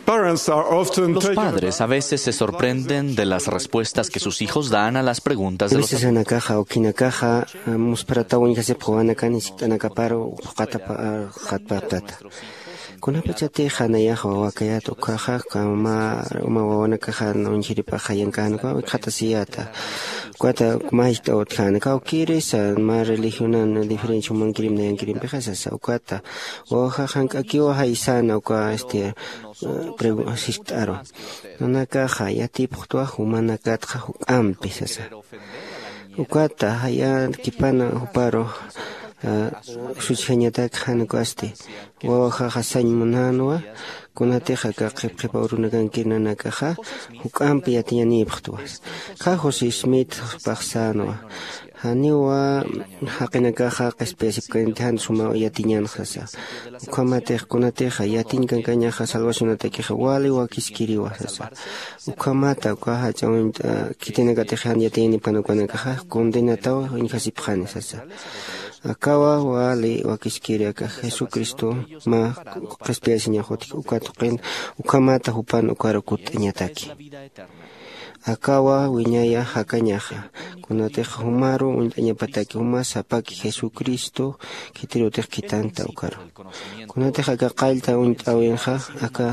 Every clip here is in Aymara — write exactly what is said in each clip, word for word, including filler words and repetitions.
Parents are often Los taken padres a aback veces se by the sorprenden de las respuestas que sus hijos dan a las preguntas de los adultos. Sasanakaxa ukinakaxa musparataw uñjasipxi wawanakan jiskt'anakaparu phuqatapxatpata. Kunapachatixa nayaxa wawakayat ukkhaxa kama uma wawanakaxa uñjiripaxa yankanakawa wikxatasiyata. Ukata mä jiskt'aw utjäna kawkïrisa mä religionan diferencia jumankirim nayankirimpixasasa ukata wawajax jank'akiwa jaysana uka este jiskt'aru nanakaxa yatipxtwa jumanakatxa juk'ampi sasa. Ukata jaya kipana juparu suchjañatak jan ukasti wawajaxa sañ munänwa. Kunatixa aka qhipqhipa urunakankir nanakaxa juk'ampi yatiñanïpxtwa. Kha josé smith paxsänwa janiwa jaqinakaxa qhispiyasipkaniti jan suma yatiñanxasa. Ukhamatix kunatixa yatiñ kankañaxa salvacionatakixa wali wakiskiriwa sasa. Ukhamata uka jach'a uñt'a khitinakatix jan yatiñanipkan ukanakaxa condenataw uñjasipxani sasa. Akawa wali wakiskiri aka jesucristo mä qhispiyasiñax utji uka tuqin. Ukhamata jupan ukaru kutt'añataki akawa wiñaya jakañaxa. Kunatix jumaru uñt'añapataki juma sapaki jesucristo khitirutix khitanta ukaru. Kunatix aka qallta uñt'äwinxa aka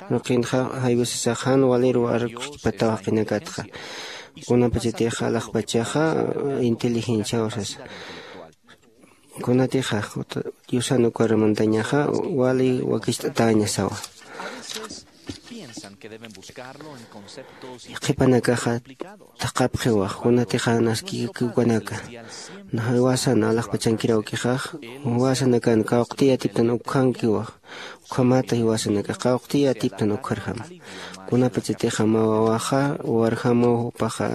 ruqinxa jaywisasax jan waliru arukxkipataw jaqinakatxa. Kunapachatixa alaxpachaxa inteligenciaw sasa. Kunatixa diosan ukar mantañaxa wali wakicht'atäñasawa. Qhipanakaxa thaqhapxiwa kunatixa naskikiwanaka jiwasan alaxpachankiraw ukixax jiwasanakan kawqti yatiptan ukkhankiwa. Ukhamata jiwasanakax kawqti yatiptan ukkharjama. Kunapachatixa mä wawaxa warjamuw jupaxa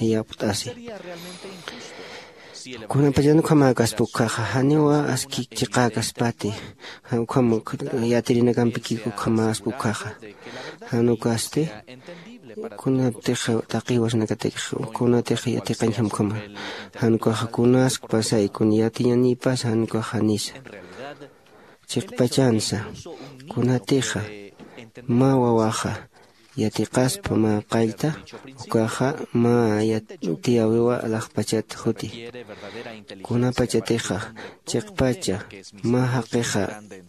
iyapt'asi. Kunapachan ukhamäkaspa ukkhaxa janiwa aski chiqäkaspati. Ukham yatirinakampikik ukhamäspa ukkhaxa jan ukasti kunaptix taqi jiwasanakatakix kunatix yatiqañjam ukhama. Jan ukaxa kunaskpasay kun yatiñanïpas jan ukaxa janisa chiqpachansa. Kunatixa mä wawaxa yatiqaspa mä qallta ukaxa mä yatiyäwiwa alaxpachat juti. Kunapachatixa chiqpacha mä jaqixa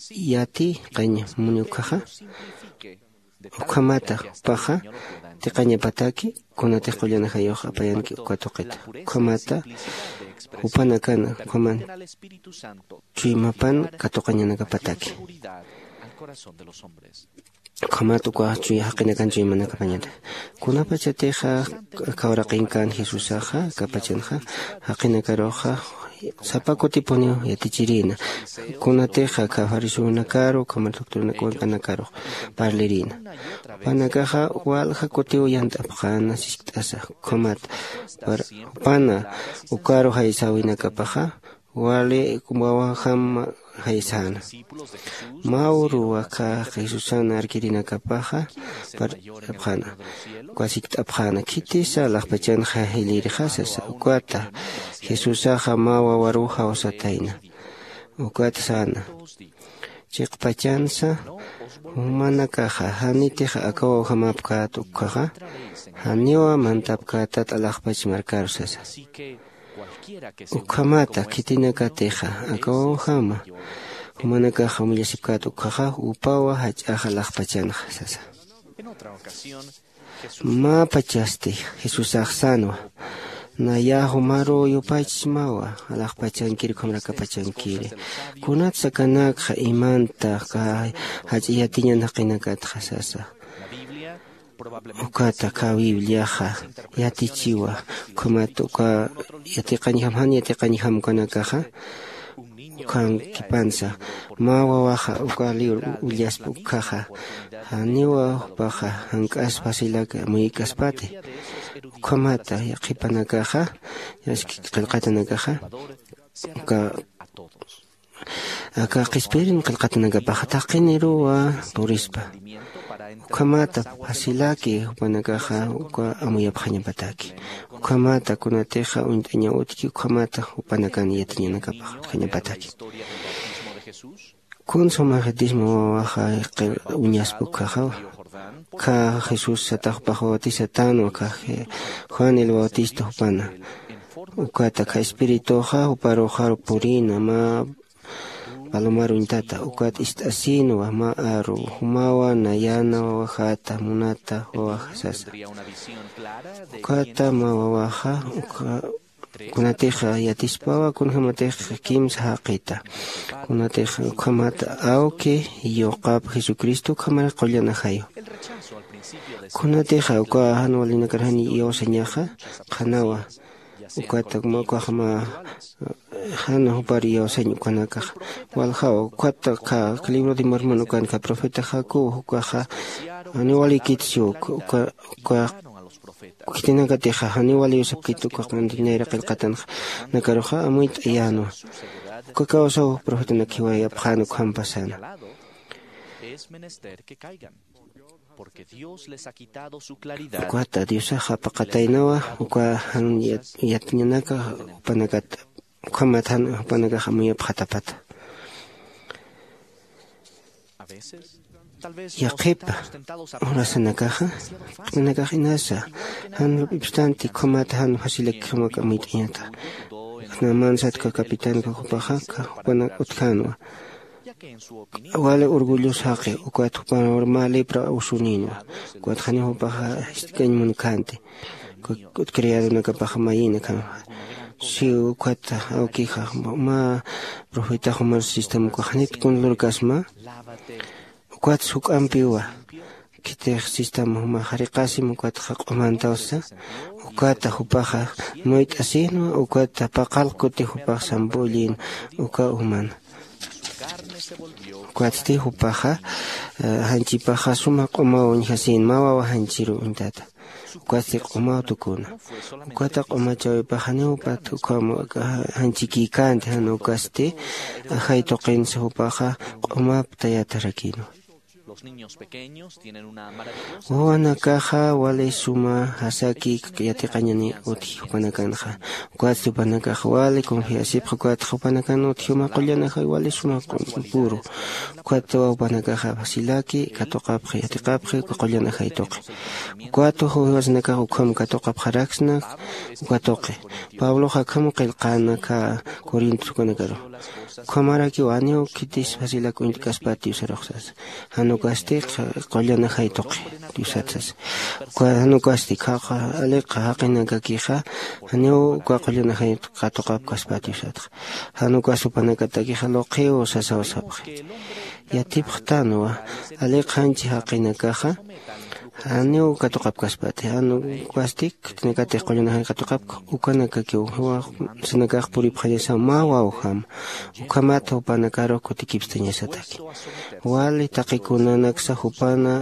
yatiqañ muni ukkhaxa ukhamata jupaxa tiqañapataki kunatix qullan ajayux apayanki uka tuqita ukhamata jupanakana ukhaman chuymapan katuqañanakapataki. Ukhamat uka chuy jaqinakan chuymanakapañata kunapachatixa aka uraqinkan jesusaxa aka pachanxa jaqinakaruxa sapa kutipuniw yatichirïna. Kunatixa aka fariseonakaru ukhama doctrinakanakanakarux parlirïna. Jupanakaxa walja kutiw yant'apxäna siskt'asa ukhamat jupana ukaru jaysäwinakapaxa wali wawajam jaysäna. Mä uruw aka jesusan arkirinakapaxa parlt'apxäna uka sikt'apxäna khitisa alaxpachanxa jilïrxa sasa. Ukata jesusaxa mä wawaruw jawsatayna ukat säna chiqpachansa jumanakaxa janitix aka wawjamapkät ukkhaxa janiwa mantapkätat alaxpach markaru sasa. Ukhamata khitinakatixa aka wawjama jumanakaxa umillasipkät ukkhaxa upawa jach'axa alaxpachanxa sasa. Mä pachasti jesusax sänwa naya jumaruw yupaychsmawa alaxpachankir ukhamrakapachankiri. Kunatsa kanakxa imanta jach'a yatiñan jaqinakatxa sasa. Ukata aka bibliaxa yatichiwa ukhamat uka yatiqañjam jan yatiqañjam ukanakaxa ukhankipansa mä wawaxa uka liwr willaspa ukkhaxa janiwa jupaxa jank'as facilak amuykaspati. Ukhamata qhipanakaxa qillqatanakaxa uka aka qhispirin qillqatanakapaxa taqiniruwa purispa. Ukhamata facilaki jupanakaxa uka amuyapxañapataki ukhamata kunatixa uñt'añaw utki ukhamata jupanakan yatiñanakapax utjañapataki. Kun sumaxitisma wawaxa qir uñaspa ukhaxawa. Kha jesús sataxpax bautisatänwa kha Je- juan el bautista jupana. Ukata kha espirituxa juparuxaru purina mä palomaruñtata ukat ist'asïnwa mä aru jumawa nayana wawajata munata wawaja sasa. Ukata mä wawaxa ukha kunatixa yatispawa kunjämatix kimsa jaqita. Kunatix ukhamat awki yuqap jesucristo ukhamar qullan ajaywa. Kunatixa uka jan walinakar jan iyawsañaxa qhanawa. Ukata mä ukaxma jan jupar iyawsañ ukanakaxa waljawa ukata kha libro de mormon ukanka profeta jacob ukaxa janiw walikitsi uka uka uka khitinakatixa janiw wali usapkit uka q'anti nayra qillqatanxa nakaruxa amuyt'ayänwa. Uka kawsaw profetanak jiwayapxän ukhampasana. Ukat diosax apaqataynawa uka jan yatiñanaka jupanakat ukhamat jan jupanakax amuyapxatapata. Yaqhipa urasanakaxa q'inakax inasa jan lup'ipstanti ukhamat jan facilakixamak amuyt'añata. Namansatka capitanka jupaxa jupanak utjänwa. Wali orgullos jaqi ukat jupanwar mä lepra usuninwa. Ukat janiw jupaxa jist'kañ munkänti. Ukat criadonakapaxa mayïna khanxa si ukat awkixa mä profetax jumar sistema ukax janit kun lurkasma. Ukat juk'ampiwa khitix sistema juma jariqasim ukatxa q'umantawsa. Ukata jupaxa muyt'asïnwa ukata paqal kuti jupax samp'ullïn uka umana. Ukatsti jupaxa janchipaxa suma q'umaw uñjasïn mä wawa janchiru uñtata. Ukatsti q'umaw tukuna. Ukata q'umachäwipax janiw upat ukham janchikïkänti jan ukasti ajay tuqinsa jupaxa q'umap tayatarakïnwa. Wawanakaxa wali suma jasaki yatiqañani utji jupanakanxa. Ukatsti jupanakax wali confiasipxa ukatxa jupanakan utji juma qullan ajay wali suma puru. Ukatwa jupanakaxa facilaki katuqapxi yatiqapxi uka qullan ajay tuqi. Ukatwa jiwasanakax ukham katuqapxaraksna uka tuqi. Pablox akham qillqäna kha corintos ukanakaru. Ukhamarakiw janiw khitis facilak uñt'kaspati diosarux sasa. Jan ukasti qullan ajay tuqi diosat sasa. Jan ukasti khaqa aliqa jaqinakakixa janiw uka qullan ajay katuqapkaspati diosatxa. Jan ukas jupanakatakixa luqiw sasaw sapxi. Yatipxtänwa aliqa janchi jaqinakaxa janiw katuqapkaspati jan ukasti khitinakatix qullan ajay katuqapka. Ukanakakiw jiwasanakax puripxañasaw mä wawjama. Ukhamat jupanakaru kutikipstañasataki. Wali taqikunanaksa jupana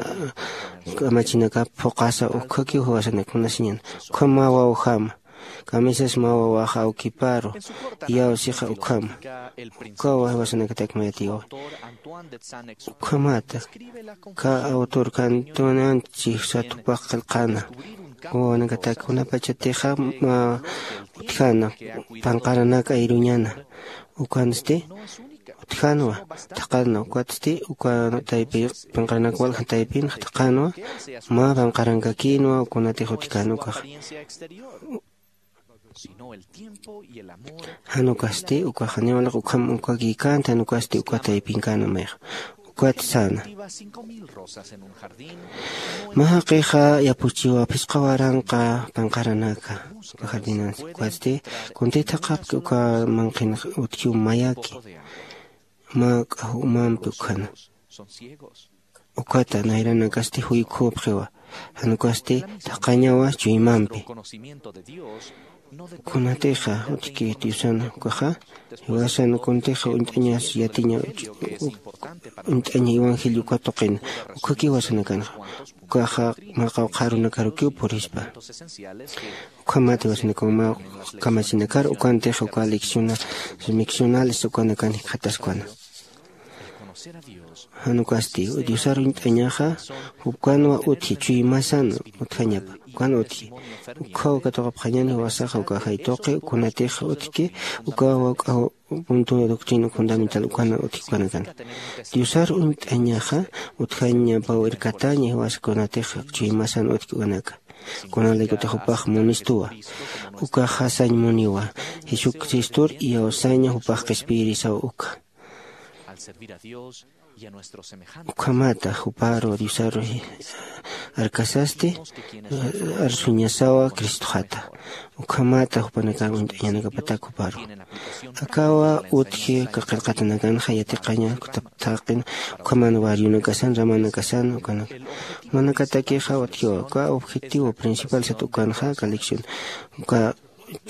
kamachinakap phuqasa ukhakiw jiwasanak munasiñan. Ukham mä wawjama. Kamisas mä wawaxa awkiparu iyawsixa ukhama. Ukawa jiwasanakatak mayatiwa. Ukhamata kha autor kantunanchi satupax qillqäna. Wawanakatak kunapachatixa mä utjäna panqaranak ayruñana. Ukansti utjänwa thaqhanwa ukatsti uka taypi panqaranak walja taypinxa thaqhanwa. Mä panqarankakïnwa kunatix utjkän ukaxa. Jan ukasti ukax janiw walaq ukham ukakïkänti jan ukasti uka taypinkänwa mayxa. Ukat säna mä jaqixa yapuchiwa phisqa waranqa panqaranaka uka jardinansa ukatsti kuntï thaqhapki uka manqhinax utjiw mayaki. Mä k'aw umampi ukhana ukata nayranakasti juykhupxiwa. Jan ukasti thaqhañawa chuymampi. Kunatixa utjki diosan ukaxa jiwasan kuntixa uñt'añas yatiña uñt'aña evangelio uka tuqina. Ukhakiw jiwasanakanxa ukaxa mä qawqha arunakarukiw purispa. Ukhamat jiwasanakaw mä kamachinakar ukantixa uka lecciona miccionales ukanakan jikxataskwana. Jan ukasti diosar uñt'añaxa jupkanwa utji chuymasan utjañapa. Ukan utji ukjaw katuqapxañani jiwasaxa uka jaytuqi ukunatix utjki uka wawk'a punto doctrina fundamental ukana utji ukanakan. Diosar uñt'añaxa utjañapaw irkataña jiwasa kunatix chuymasan utjki ukanaka. Kunalaykutix jupax munistuwa. Ukaxa sañ muniwa. Jesucristor iyawsaña jupax qhispiyirisaw uka. Ukhamata juparu diosaru arkasasti arsuñasawa cristoxata. Ukhamata jupanakar uñt'añanakapatak juparu akawa utji kaqirqatanakanxa yatiqaña kutap thaqin. Ukhaman wariunakasan ramanakasan ukanaka manakatakixa utjiwa uka objetivo principal sat ukanxa colección uka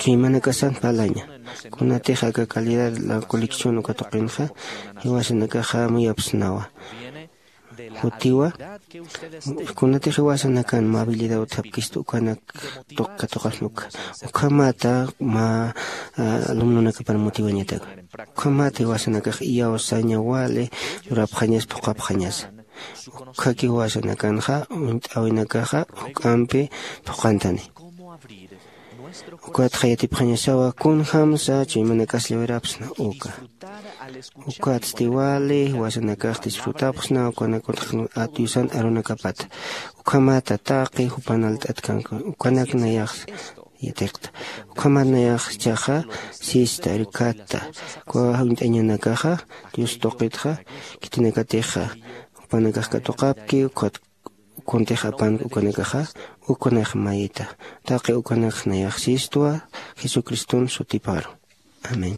chuymanakasan parlaña. Kunatix aka calidad la colección uka tuqinxa jiwasanakaxa muyapsnawa. Jutiwa kunatix jiwasanakan movilidad utjapkista ukanak tuq katuqasnuka. Ukhamata mä alumnonakapar motiwañataka. Ukhamata jiwasanakax iyawsaña wali lurapxañas phuqhapxañasa. Ukhaki jiwasanakanxa uñt'äwinakaxa juk'ampi phuqhantani. Ukatxa yatipxañasawa kunjämsa chuymanakas llawirapsna uka. Ukatsti wali jiwasanakax disfrutapxsna ukanakutx diosan arunakapata. Ukhamata taqi jupan alt'atkanku ukanak nayax yatiqta. Ukhamat nayax jichhaxa sista irkatta. Uka uñt'añanakaxa dios tuqitxa khitinakatixa jupanakax katuqapki. Ukhat kuntix apank ukanakaxa ukanakax mayita. Taqi ukanakax nayax sistwa jesucriston sutiparu. Amén.